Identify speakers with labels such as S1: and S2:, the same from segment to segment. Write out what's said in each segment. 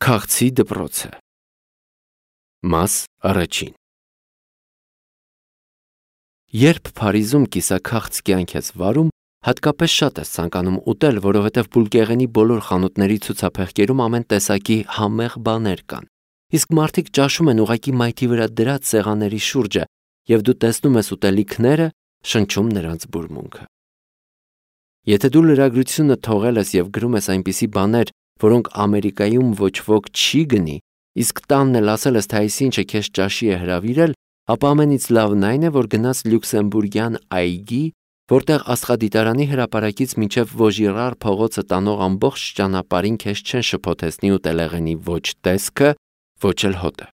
S1: Քաղցի դպրոցը։ Մաս առաջին։ Երբ Փարիզում կիսաքաղց կյանք ես վարում, հատկապես շատ ես ցանկանում ուտել, որովհետև բուլկեղենի բոլոր խանութների ցուցափեղկերում ամեն տեսակի համեղ բաներ կան։ Իսկ մարդիկ ճաշում են ուղղակի մայթի վրա դրած սեղանների շուրջը, եւ դու տեսնում ես ուտելիքները, շնչում նրանց բուրմունքը։ Եթե դու լրագրությունը թողել ես եւ գրում ես այնպիսի բաներ, որոնք Ամերիկայում ոչ ոք չի գնի, իսկ տանն էլ ասել ես, թե այսինչը քեզ ճաշի է հրավիրել, ապա ամենից լավն այն է, որ գնաս Լյուքսեմբուրգյան այգի, որտեղ Աստղադիտարանի հրապարակից մինչև Վոժիրար փողոցը տանող ամբողջ ճանապարհին քեզ չեն շփոթեցնի ուտելեղենի ոչ տեսքը, ոչ էլ հոտը։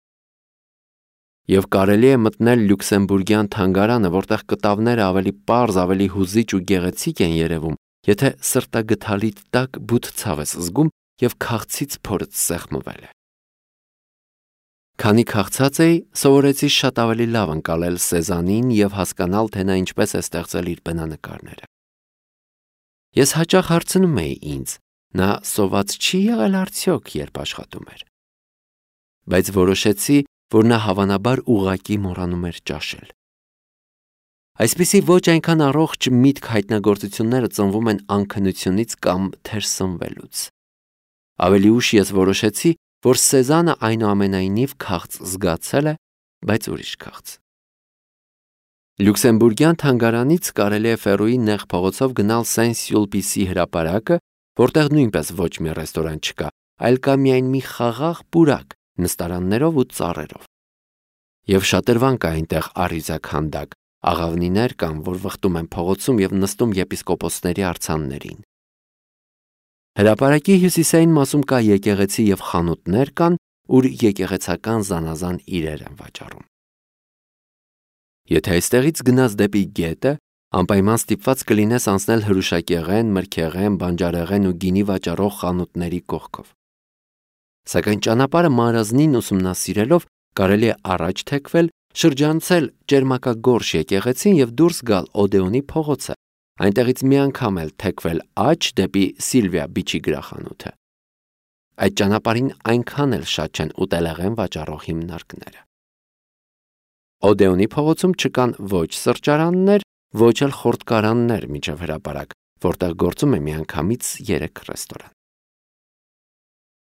S1: Եվ կարելի է մտնել Լյուքսեմբուրգյան թանգարանը, որտեղ կտավները ավելի պարզ, ավելի հուզիչ ու գեղեցիկ են երևում, եթե սրտագթալիդ տակ բութ ցավ ես զգում եւ քաղցից փորդ սեղմվել է։ Քանի քաղցած էի, սովորեցի շատ ավելի լավ ընկալել Սեզանին եւ հասկանալ, թե նա ինչպես է ստեղծել իր բնանկարները։ Ես հաճախ հարցնում էի ինձ, նա սոված չի եղել արդյոք, երբ աշխատում էր։ Բայց որոշեցի, որ նա հավանաբար ուղղակի մոռանում էր ճաշել։ Այսպիսի ոչ այնքան առողջ միտք հայտնագործությունները ծնվում են անքնությունից կամ թերսնվելուց։ Ավելի ուշ ես որոշեցի, որ Սեզանը այնուամենայնիվ քաղց զգացել է, բայց ուրիշ քաղց։ Լյուքսեմբուրգյան թանգարանից կարելի է Ֆերոյի նեղ փողոցով գնալ Սեն-Սյուլպիսի հրապարակը, որտեղ նույնպես ոչ մի ռեստորան չկա, այլ կա միայն մի խաղաղ պուրակ նստարաններով ու ծառերով։ Եվ շատրվան կա այնտեղ առյուծաքանդակ, աղավնիներ կան, որ վխտում են փողոցում եւ նստում եպիսկոպոսների արձաններին։ Հրապարակի հյուսիսային մասում կա եկեղեցի եւ խանութներ կան, ուր եկեղեցական զանազան իրեր են վաճառում։ Եթե այստեղից գնաս դեպի գետը, անպայման ստիպված կլինես անցնել հրուշակեղեն, մրգեղեն, բանջարեղեն ու գինի վաճառող խանութների կողքով։ Սակայն ճանապարհը մանրազնին ուսումնասիրելով կարելի է առաջ թեքվել, շրջանցել Ճերմակագորշ եկեղեցին եւ դուրս գալ Օդեոնի փողոցը, այնտեղից մի անգամ էլ թեքվել աջ դեպի Սիլվիա Բիչի գրախանութը։ Այդ ճանապարհին այնքան էլ շատ չեն ուտելեղեն վաճառող հիմնարկները։ Օդեոնի փողոցում չկան ոչ սրճարաններ, ոչ էլ խորտկարաններ միջև հրապարակ, որտեղ գործում է միանգամից 3 ռեստորան։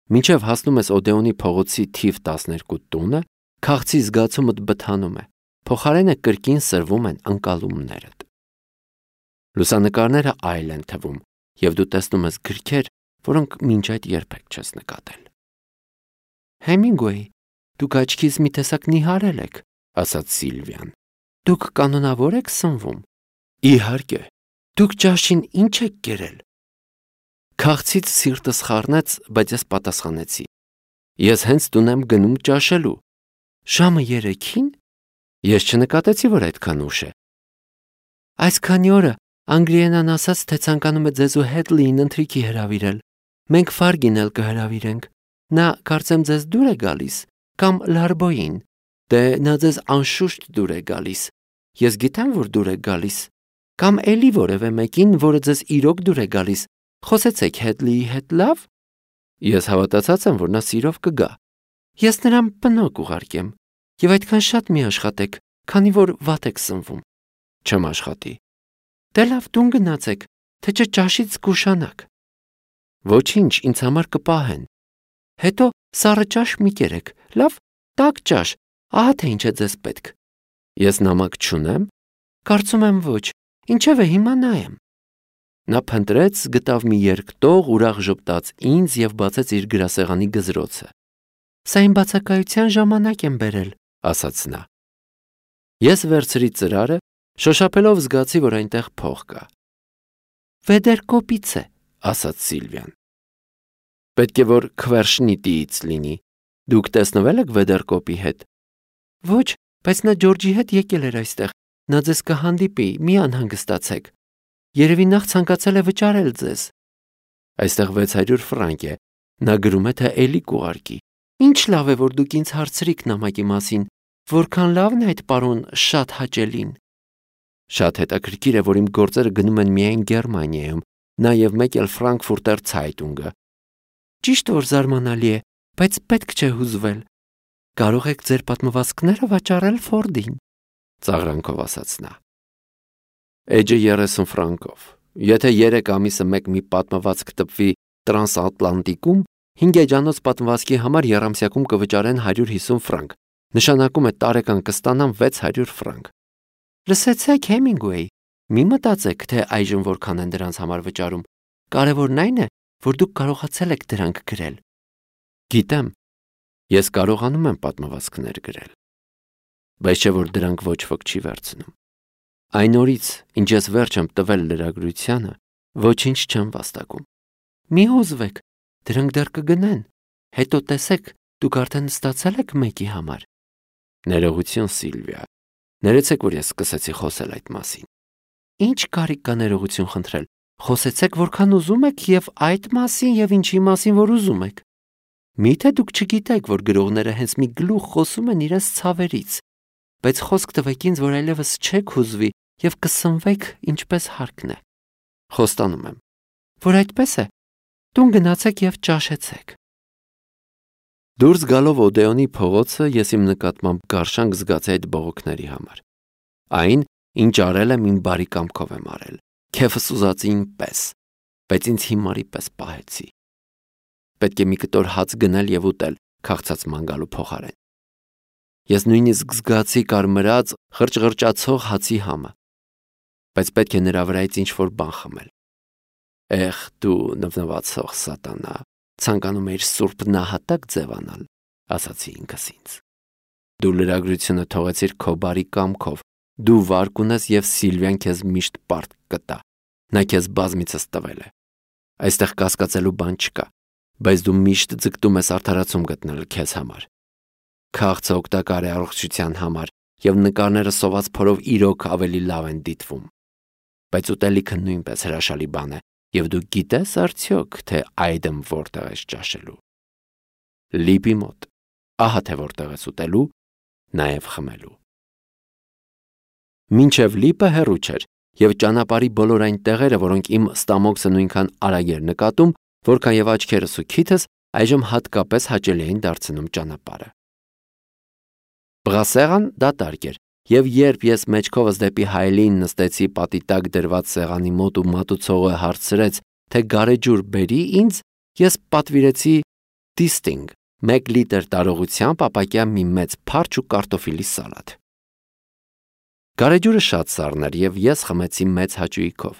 S1: Մինչև հասնում ես Օդեոնի փողոցի թիվ 12 տունը, քաղցի զգացումդ բթանում է, փոխարենը կրկին սրվում են ընկալումներդ։ Լուսանկարները այլ են թվում, եւ դու տեսնում ես գրքեր, որոնք մինչ այդ երբեք չես նկատել։ Հեմինգուեյ, դուք աչքից մի տեսակ նիհարել եք, ասաց Սիլվիան։ Դուք կանոնավոր եք սնվում։ Իհարկե, դուք ճաշին ինչ եք կերել։ Քաղցից սիրտս խառնեց, բայց ես պատասխանեցի. Ես հենց տուն եմ գնում ճաշելու։ Ժամը 3-ին։ Ես չնկատեցի, որ այդքան ուշ է։ Այսքանի օրը Անգլիենան ասաց, թե ցանկանում է ձեզ ու Հետլիին ընթրիքի հրավիրել։ Մենք Ֆարգին էլ կհրավիրենք։ Նա կարծեմ ձեզ դուր է գալիս, կամ Լարբոյին։ Դե նա ձեզ անշուշտ դուր է գալիս։ Ես գիտեմ, որ դուր է գալիս։ Կամ էլի որևէ մեկին, որը ձեզ իրոք դուր է գալիս։ Խոսեցեք Հետլիի հետ լավ։ Ես հավատացած եմ, որ նա սիրով կգա։ Ես նրան բնոկ ուղարկեմ։ Եվ այդքան շատ մի աշխատեք, քանի որ վատ եք սնվում։ Չեմ աշխատի։ Դե լավ, տուն գնացեք, թե չէ ճաշից կուշանաք։ Ոչինչ, ինձ համար կպահեն։ Հետո սառը ճաշ մի կերեք, լավ, տաք ճաշ, ահա թե ինչ է ձեզ պետք։ Ես նամակ չունեմ։ Կարծում եմ ոչ, ինչև է հիմա նայեմ։ Նա փնտրեց, գտավ մի երկտող, ուրախ ժպտաց ինձ եւ բացեց իր գրասեղանի գզրոցը։ Սա իմ բացակայության ժամանակ եմ բերել, ասաց նա։ Ես վերցրի ծրարը, շոշափելով զգացի, որ այնտեղ փող կա։ Վեդերկոպից է, ասաց Սիլվիան։ Պետք է որ Քվերշնիտիից լինի։ Դուք տեսնվել եք Վեդերկոպի հետ։ Ոչ, բայց նա Ջորջի հետ եկել էր այստեղ։ Նա ձեզ կհանդիպի, մի անհանգստացեք։ Երևի նախ ցանկացել է վճարել ձեզ։ Այստեղ 600 ֆրանկ է։ Նա գրում է, թե էլի կուղարկի։ Ինչ լավ է, որ դուք ինձ հարցրիք նամակի մասին, որքան լավն է այդ պարոն շատ հաճելին։ Շատ հետաքրքիր է, որ իմ գործերը գնում են միայն Գերմանիայում, նաև մեկ էլ Ֆրանկֆուրտեր Ցայտունգը։ Ճիշտ որ զարմանալի է, Բայց պետք չէ հուզվել։ Կարող եք ձեր պատմվածքները վաճառել Ֆորդին, ծաղրանքով ասաց նա։ Էջը 30 ֆրանկով։ Եթե 3 ամիսը մեկ մի պատմվածք տպվի տրանսատլանտիկում, 5 էջանոց պատմվածքի համար եռամսյակում կվճարեն 150 ֆրանկ։ Նշանակում է տարեկան կստանամ 600 ֆրանկ։ Լսեցեք, Հեմինգուեյ, մի մտածեք, թե այժմ որքան են դրանց համար վճարում։ Կարևորն այն է, որ դուք կարողացել եք դրանք գրել։ Գիտեմ, ես կարողանում եմ պատմվածքներ գրել, բայց չէ որ դրանք ոչ ոք չի վերցնում։ Այն օրից, ինչ ես վերջ եմ տվել լրագրությանը, ոչինչ չեմ վաստակում։ Մի հուզվեք, դրանք դեռ կգնեն։ Հետո տեսեք, դուք արդեն ստացել եք մեկի համար։ Ներողություն, Սիլվիա։ Ներեցեք, որ ես սկսեցի խոսել այդ մասին։ Ինչ կարիք կա ներողություն խնդրել։ Խոսեցեք որքան ուզում եք եւ այդ մասին եւ ինչի մասին որ ուզում եք։ Միթե դուք չգիտեք, որ գրողները հենց մի գլուխ խոսում են իրենց ցավերից, բայց խոսք տվեք ինձ, որ այլևս չեք հուզվի եւ կսնվեք ինչպես հարկն է։ Խոստանում եմ, որ այդպես է։ Տուն գնացեք եւ ճաշեցեք։ Դուրս գալով Օդեոնի փողոցը ես իմ նկատմամբ գարշանք զգացի այդ բողոքների համար։ Այն, ինչ արել եմ, իմ բարի կամքով եմ արել, քեֆս ուզածի պես, բայց ինձ հիմարի պես պահեցի։ Պետք է մի կտոր հաց գնել եւ ուտել, քաղցած ման գալու փոխարեն։ Ես նույնիսկ զգացի կարմրած, խրճղրճացող հացի համը, բայց պետք է նրա վրայից ինչ-որ բան խմել։ Էխ, դու նվնվացող սատանա, ցանկանում էիր սուրբ նահատակ ձևանալ, ասացի ինքս ինձ։ Դու լրագրությունը թողեցիր քո բարի կամքով, դու վարկ ունես եւ Սիլվիան քեզ միշտ պարտք կտա։ Նա քեզ բազմիցս տվել է։ Այստեղ կասկածելու բան չկա, բայց դու միշտ ձգտում ես արդարացում գտնել քեզ համար։ Քաղցը օգտակար է առողջության համար եւ նկարները սոված փորով իրոք ավելի լավ են դիտվում։ Բայց ուտելիքը նույնպես հրաշալի բան է եւ դու գիտես արդյոք, թե այդմ որտեղ ես ճաշելու։ Լիպի մոտ, ահա թե որտեղ ես ուտելու, նաեւ խմելու։ Մինչև լիպը հեռու չէր եւ ճանապարհի բոլոր այն տեղերը, որոնք իմ ստամոքսը նույնքան արագ էր նկատում, որքան եւ աչքերս ու քիթս այժմ հատկապես հաճելի էին դարձնում ճանապարհը։ Բրասերան դատարկ էր, եւ երբ ես մեջքովս դեպի հայելին նստեցի պատի տակ դրված սեղանի մոտ ու մատուցողը հարցրեց, թե գարեջուր բերի ինձ, ես պատվիրեցի դիստինգ, 1 լիտր տարողությամբ ապակյա մի մեծ փարչ ու կարտոֆիլի սալատ։ Գարեջուրը շատ սառն էր եւ ես խմեցի մեծ հաճույքով։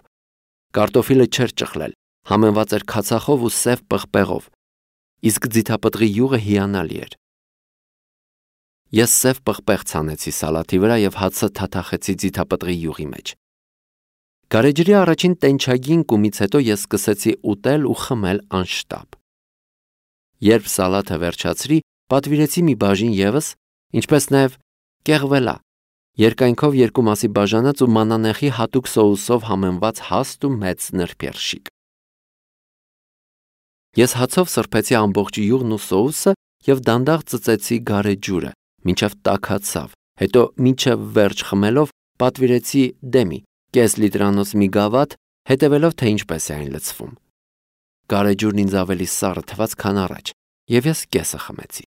S1: Կարտոֆիլը չէր ճխլել, համենված էր քացախով ու սև պղպեղով, իսկ ձիթապտղի յուղը հիանալի էր։ Ես սև պղպեղ ցանեցի սալատի վրա եւ հացը թաթախեցի ձիթապտղի յուղի մեջ։ Գարեջրի առաջին տենչագին կումից հետո ես սկսեցի ուտել ու խմել անշտապ։ Երբ սալատը վերջացրի, պատվիրեցի մի բաժին եւս, ինչպես նաեւ կեղվելա, երկայնքով 2 մասի բաժանած ու մանանեխի հատուկ սոուսով համեմված հաստ ու մեծ նրբերշիկ։ Ես հացով սրբեցի ամբողջ յուղն ու սոուսը եւ դանդաղ ծծեցի գարեջուրը, մինչև տաքացավ, հետո մինչև վերջ խմելով պատվիրեցի դեմի, կես լիտրանոց մի գավաթ, հետևելով թե ինչպես է այն լցվում։ Գարեջուրն ինձ ավելի սառը թվաց, քան առաջ, եւ ես կեսը խմեցի։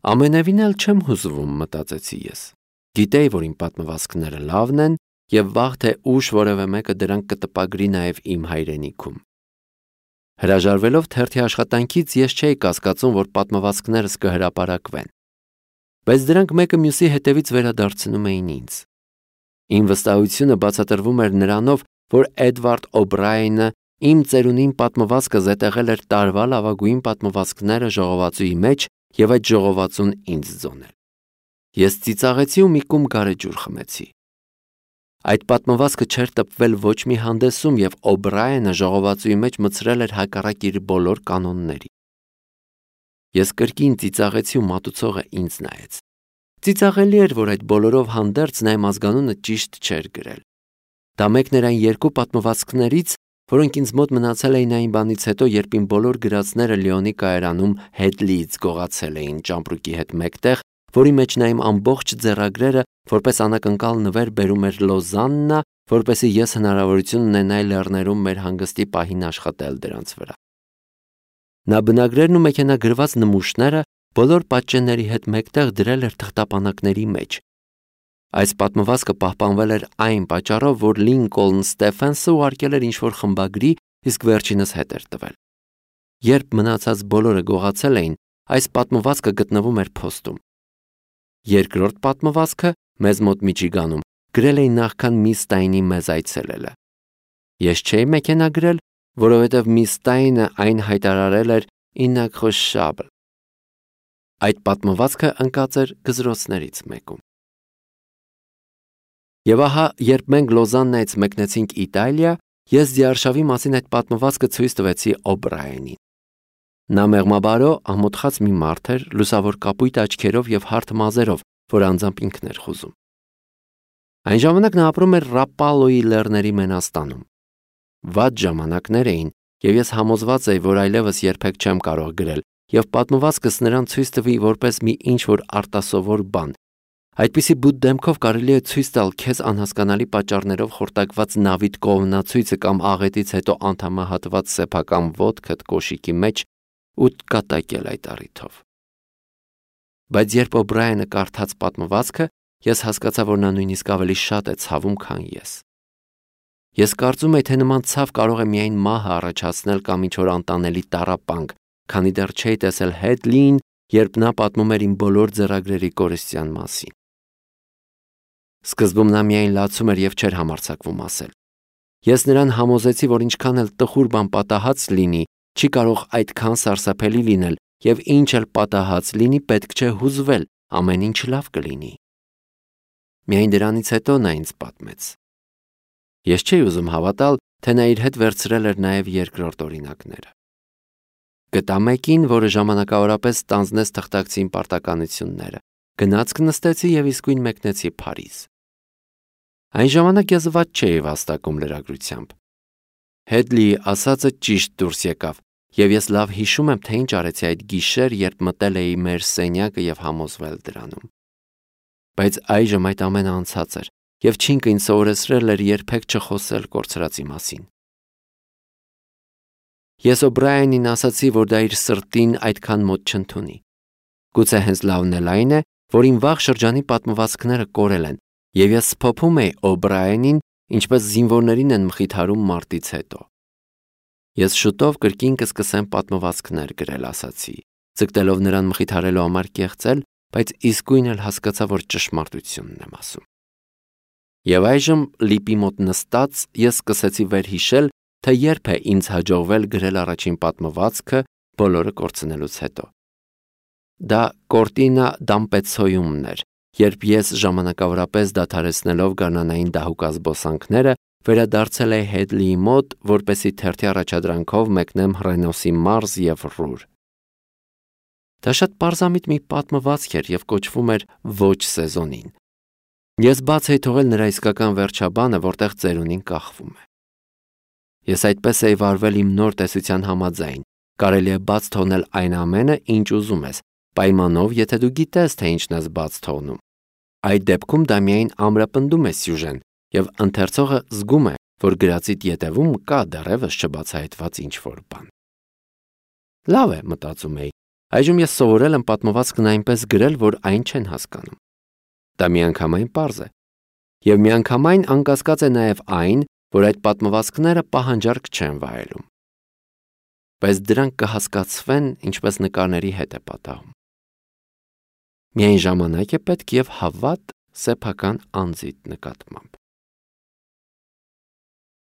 S1: Ամենևին էլ չեմ հուզվում, մտածեցի ես։ Գիտեի, որ իմ պատմվածքները լավն են եւ վաղ թե ուշ որևէ մեկը դրանք կտպագրի նաեւ իմ հայրենիքում։ Հրաժարվելով թերթի աշխատանքից ես չէի կասկածում, որ պատմվածքներս կհրապարակվեն, բայց դրանք մեկը մյուսի հետևից վերադարձնում էին ինձ։ Իմ վստահությունը բացատրվում էր նրանով, որ Էդվարդ Օբրայենը իմ ծերունին պատմվածքը զետեղել էր տարվա լավագույն պատմվածքները ժողովածուի մեջ եւ այդ ժողովածուն ինձ ձոնել։ Ես ծիծաղեցի ու մի կում գարեջուր խմեցի։ Այդ պատմվածքը չէր տպվել ոչ մի հանդեսում եւ Օբրայենը ժողովածուի մեջ մցրել էր հակառակ իր բոլոր կանոնների։ Ես կրկին ծիծաղեցի ու մատուցողը ինձ նայեց։ Ծիծաղելի էր, որ այդ բոլորով հանդերձ նա իմ ազգանունը ճիշտ չէր գրել։ Դա մեկն էր այն 2 պատմվածքներից, որոնք ինձ մոտ մնացել էին այն բանից հետո, երբ իմ բոլոր գրածները Լիոնի կայարանում Հետլիից գողացել էին ճամպրուկի հետ մեկտեղ, որի մեջ նա իմ ամբողջ ձեռագրերը որպես անակնկալ նվեր բերում էր Լոզաննա, որպեսզի ես հնարավորություն ունենայի լեռներում մեր հանգստի պահին աշխատել դրանց վրա։ Նա բնագրերն ու մեքենագրված նմուշները բոլոր պատճենների հետ մեկտեղ դրել էր թղթապանակների մեջ։ Այս պատմվածքը պահպանվել էր այն պատճառով, որ Լինկոլն Ստեֆենսը ուղարկել էր ինչ-որ խմբագրի, իսկ վերջինս հետ էր տվել։ Երբ մնացած բոլորը գողացել էին, այս պատմվածքը գտնվում էր փոստում։ Երկրորդ պատմվածքը մեզ մոտ Միչիգանում գրել էին նախքան Միս Ստայնի մեզ այցելելը։ Ես չէի մեքենագրել, որովհետև Միս Ստայնը այն հայտարարել էր իննակրոշաբլ։ Այդ պատմվածքը ընկած էր գզրոցներից մեկում։ Եվ ահա, երբ մենք Լոզաննայից մեկնեցինք Իտալիա, ես Ձիարշավի մասին այդ պատմվածքը ցույց տվեցի Օբրայենին։ Նա մեղմաբարո ամոթխած մի մարդ էր, լուսավոր կապույտ աչքերով եւ հարթ մազերով, որ անձամբ ինքն էր խուզում։ Այն ժամանակ նա ապրում էր Ռապալոյի լեռների Մենաստանում։ Վատ ժամանակներ էին, եւ ես համոզված էի, որ այլևս երբեք չեմ կարող գրել, եւ պատմվածքս նրան ցույց տվի որպես մի ինչ-որ արտասովոր բան։ Այդպիսի բութ դեմքով կարելի է ցույց տալ քեզ անհասկանալի պատճառներով խորտակված նավիթ կողմնացույցը կամ աղետից հետո անդամահատված սեփական ոտքդ կոշիկի մեջ ու կատակել այդ առիթով։ Բայց երբ Օբրայենը կարդաց պատմվածքը, ես հասկացա, որ նա նույնիսկ ավելի շատ է ցավում, քան ես։ Ես կարծում եի, թե նման ցավ կարող է միայն մահը առաջացնել կամ ինչ-որ անտանելի տառապանք, քանի դեռ չէի տեսել Հեդլիին, երբ նա պատմում էր իմ բոլոր ձեռագրերի կորստյան մասին։ Սկզբում նա միայն լացում էր եւ չէր համարձակվում ասել։ Ես նրան համոզեցի, որ ինչքան էլ տխուր բան պատահած լինի, չի կարող այդքան սարսափելի լինել, եւ ինչ էլ պատահած լինի, պետք չէ հուզվել, ամեն ինչ լավ կլինի։ Միայն դրանից հետո նա ինձ պատմեց։ Ես չէի ուզում հավատալ, թե նա իր հետ վերցրել էր նաեւ երկրորդ օրինակները։ Գտա մեկին, որը ժամանակավորապես ստանձնեց թղթակցին պարտականությունները, գնացք նստեցի եւ իսկույն մեկնեցի Փարիզ։ Այն ժամանակ ես ված չէի վաստակում լրագրությամբ։ Հեդլիի ասածը ճիշտ դուրս եկավ, եւ ես լավ հիշում եմ, թե ինչ արեցի այդ գիշեր, երբ մտել էի մեր սենյակը եւ համոզվել դրանում։ Բայց այժմ այդ ամենը անցած էր, եւ Չինկը ինձ սովորեցրել էր երբեք չխոսել կորցրածի մասին։ Ես Օբրայենին ասացի, որ դա իր սրտին այդքան մոտ չընդունի։ Գուցե հենց լավն էլ այն է, որ իմ վաղ շրջանի պատմվածքները կորել են, եւ ես սփոփում էի Օբրայենին, ինչպես զինվորներին են մխիթարում մարտից հետո։ Ես շուտով կրկին կսկսեմ պատմվածքներ գրել, ասացի, ցկտելով նրան մխիթարելու համար կեղծել, բայց իսկույն էլ հասկացա, որ ճշմարտությունն եմ ասում։ Եվ այժմ լիպի մոտ նստած ես սկսեցի վերհիշել, թե երբ է ինձ հաջողվել գրել առաջին պատմվածքը բոլորը կորցնելուց հետո։ Դա Կորտինա դամպեցոյումն էր, երբ ես ժամանակավորապես դադարեցնելով գարնանային դահուկազբոսանքները վերադարձել էի Հեդլիի մոտ, որպեսզի թերթի առաջադրանքով մեկնեմ Հռենոսի մարզ եւ Ռուր։ Դա շատ պարզամիտ մի պատմվածք էր եւ կոչվում էր Ոչ սեզոնին։ Ես բաց էի թողել նրա իսկական վերջաբանը, որտեղ ծերունին կախվում է։ Ես այդպես էի վարվել իմ նոր տեսության համաձայն։ Կարելի է բաց թողնել այն ամենը, ինչ ուզում ես, պայմանով, եթե դու գիտես, թե ինչն ես բաց թողնում։ Այդ դեպքում դա միայն ամրապնդում է սյուժեն, եւ ընթերցողը զգում է, որ գրածիդ ետևում կա դեռևս չբացահայտված ինչ-որ բան։ Լավ է, մտածում էի։ Այժմ ես սովորել եմ պատմվածքն այնպես գրել, որ այն չեն հասկանում։ Դա միանգամայն պարզ է։ Եվ միանգամայն անկասկած է նաև այն, որ այդ պատմվածքները պահանջարկ չեն վայելում։ Բայց դրանք կհասկացվեն, ինչպես նկարների հետ է պատահում։ Միայն ժամանակ է պետք եւ հավատ սեփական անձիդ նկատմամբ։